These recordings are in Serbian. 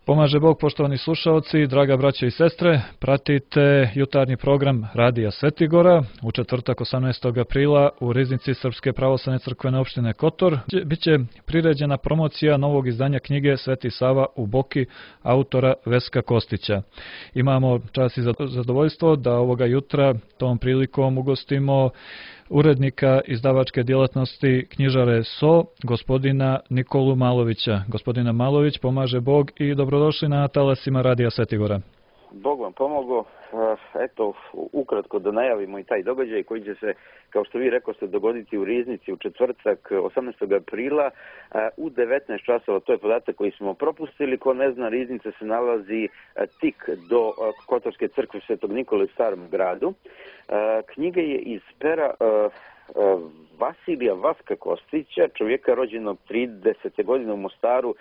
Pomaže Bog, poštovani slušalci, draga braćo i sestre, pratite jutarnji program Radija Svetigora u četvrtak 18. aprila u riznici Srpske pravoslavne crkvene opštine Kotor. Biće priređena promocija novog izdanja knjige Sveti Sava u Boki autora Veska Kostića. Imamo čast i zadovoljstvo da ovoga jutra tom prilikom ugostimo urednika izdavačke djelatnosti knjižare SO, gospodina Nikolu Malovića. Gospodina Malović, pomaže Bog i dobrodošli na talasima Radija Svetigora. Bog vam pomogao. Eto, ukratko da najavimo i taj događaj koji će se, kao što vi rekoste, dogoditi u riznici u četvrtak 18. aprila u 19 časova. To je podatak koji smo propustili. Ko ne zna, riznica se nalazi tik do Kotorske crkve Svetog Nikole u Starom gradu. Knjiga je iz pera Vasilija Vaska Kostića, čovjeka rođenog 30. godine u Mostaru,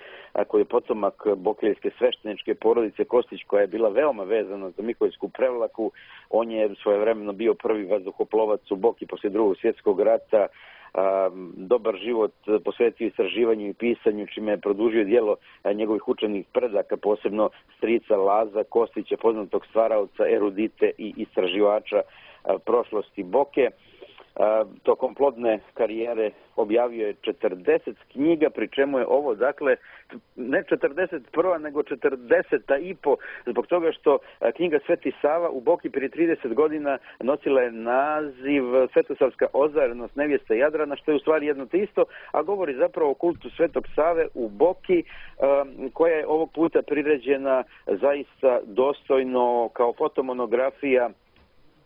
koji je potomak bokeljske svešteničke porodice Kostić, koja je bila veoma vezana za Miholjsku prevlaku. On je svojevremeno bio prvi vazduhoplovac u Boki poslije Drugog svjetskog rata. Dobar život posvetio istraživanju i pisanju, čime je produžio djelo njegovih učenih predaka, posebno strica Laza Kostića, poznatog stvaraoca, erudite i istraživača prošlosti Boke. Tokom plodne karijere objavio je 40 knjiga, pri čemu je ovo, dakle, ne 41. nego 40. i po, zbog toga što knjiga Sveti Sava u Boki prije 30 godina nosila je naziv Svetosavska ozarenost nevjeste Jadrana, što je u stvari jedno te isto, a govori zapravo o kultu Svetog Save u Boki, koja je ovog puta priređena zaista dostojno kao fotomonografija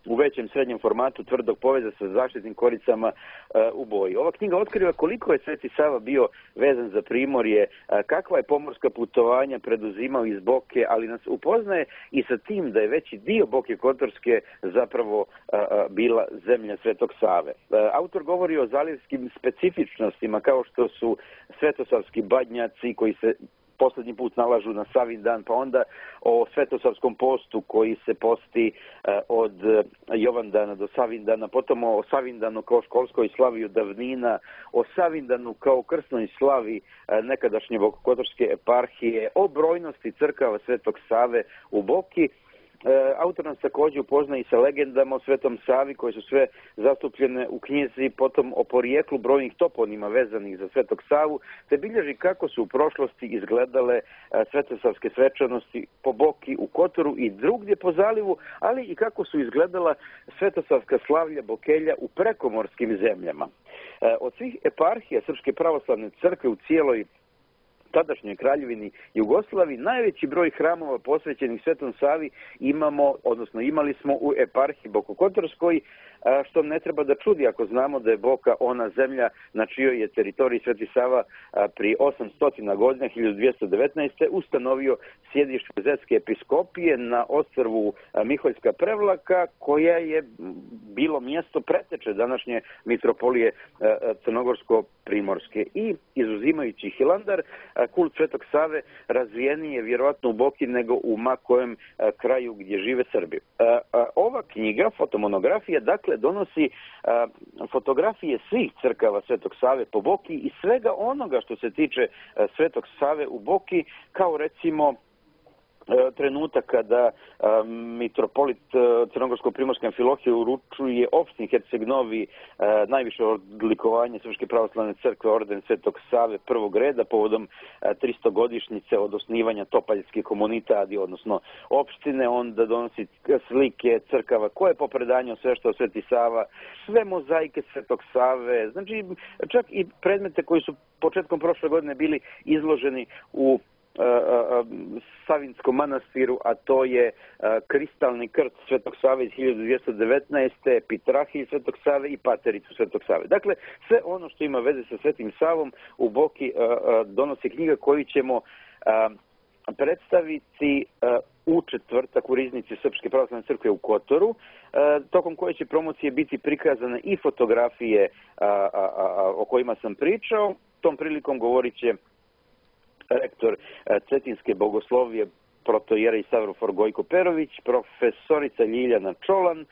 u većem srednjem formatu tvrdog poveza sa zaštitnim koricama u boji. Ova knjiga otkriva koliko je Sveti Sava bio vezan za Primorje, kakva je pomorska putovanja preduzimao iz Boke, ali nas upoznaje i sa tim da je veći dio Boke Kotorske zapravo bila zemlja Svetog Save. Autor govori o zalivskim specifičnostima kao što su svetosavski badnjaci koji se posljednji put nalažu na Savindan, pa onda o Svetosavskom postu koji se posti od Jovandana do Savindana, potom o Savindanu kao školskoj slavi od davnina, o Savindanu kao krsnoj slavi nekadašnje Bokokotorske eparhije, o brojnosti crkava Svetog Save u Boki. Autor nas također upoznaje i sa legendama o Svetom Savi koje su sve zastupljene u knjizi, potom o porijeklu brojnih toponima vezanih za Svetog Savu, te bilježi kako su u prošlosti izgledale svetosavske svečanosti po Boki, u Kotoru i drugdje po zalivu, ali i kako su izgledala svetosavska slavlja Bokelja u prekomorskim zemljama. Od svih eparhija Srpske pravoslavne crkve u cijeloj tadašnjoj kraljevini Jugoslaviji najveći broj hramova posvećenih Svetom Savi imali smo u eparhiji Bokokotorskoj, što ne treba da čudi ako znamo da je Boka ona zemlja na čijoj je teritoriji Sveti Sava prije 800 godina, 1219. ustanovio sjedište Zetske episkopije na ostrvu Miholjska prevlaka, koja je bilo mjesto preteče današnje mitropolije Crnogorsko-Primorske. I izuzimajući Hilandar, kult Svetog Save razvijeniji je vjerojatno u Boki nego u ma kojem kraju gdje žive Srbi. Ova knjiga, fotomonografija, dakle, donosi fotografije svih crkava Svetog Save po Boki i svega onoga što se tiče Svetog Save u Boki, kao recimo trenutak kada mitropolit Crnogorsko-Primorske Amfilohije uručuje opštini Herceg-Novi najviše odlikovanje Srpske pravoslavne crkve orden Svetog Save prvog reda povodom 300-godišnjice od osnivanja Topaljske komunitadi, odnosno opštine. Onda donosi slike crkava koje po predanju sve što Sveti Sava, sve mozaike Svetog Save, znači čak i predmete koji su početkom prošle godine bili izloženi u Savinskom manastiru, a to je kristalni krst Svetog Save iz 1219. Pitrahilj Svetog Save i Patericu Svetog Save. Dakle, sve ono što ima veze sa Svetim Savom u Boki donosi knjiga koju ćemo predstaviti u četvrtak u riznici Srpske pravoslavne crkve u Kotoru, tokom koje će promocije biti prikazane i fotografije o kojima sam pričao. Tom prilikom govorit će rektor Cetinske bogoslovije protojera i Savrofor Gojko Perović, profesorica Ljiljana Čolan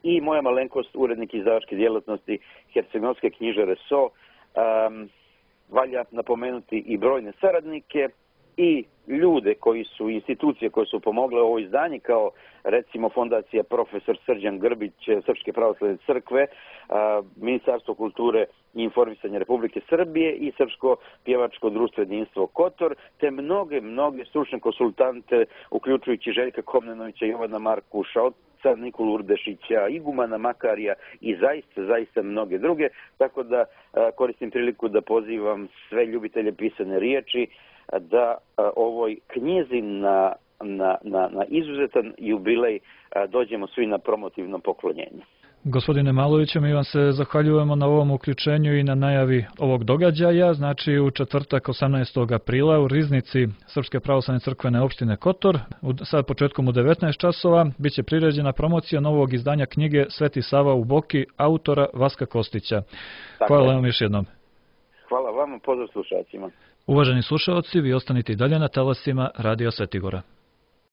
i moja malenkost, urednik izdavačke djelatnosti Herceg-Novske knjižare SO. Valja napomenuti i brojne saradnike i ljude koji su, institucije koje su pomogle ovo izdanje, kao recimo Fondacija Profesor Srđan Grbić Srpske pravoslavne crkve, Ministarstvo kulture i informisanja Republike Srbije i Srpsko pjevačko društvo jedinstvo Kotor, te mnoge stručne konsultante, uključujući Željka Komnenovića, Jovana Markuša, Nikolu Urdešića, Igumana Makarija i zaista mnoge druge, tako da koristim priliku da pozivam sve ljubitelje pisane riječi da ovoj knjizi na izuzetan jubilej dođemo svi na promotivno poklonjenje. Gospodine Maloviću, mi vam se zahvaljujemo na ovom uključenju i na najavi ovog događaja. Znači u četvrtak 18. aprila u riznici Srpske pravoslavne crkvene opštine Kotor, sad početkom u 19 časova, bit će priređena promocija novog izdanja knjige Sveti Sava u Boki autora Vaska Kostića. Hvala vam još jednom. Hvala vam, pozdrav slušalcima. Uvaženi slušalci, vi ostanite i dalje na talasima Radija Svetigora.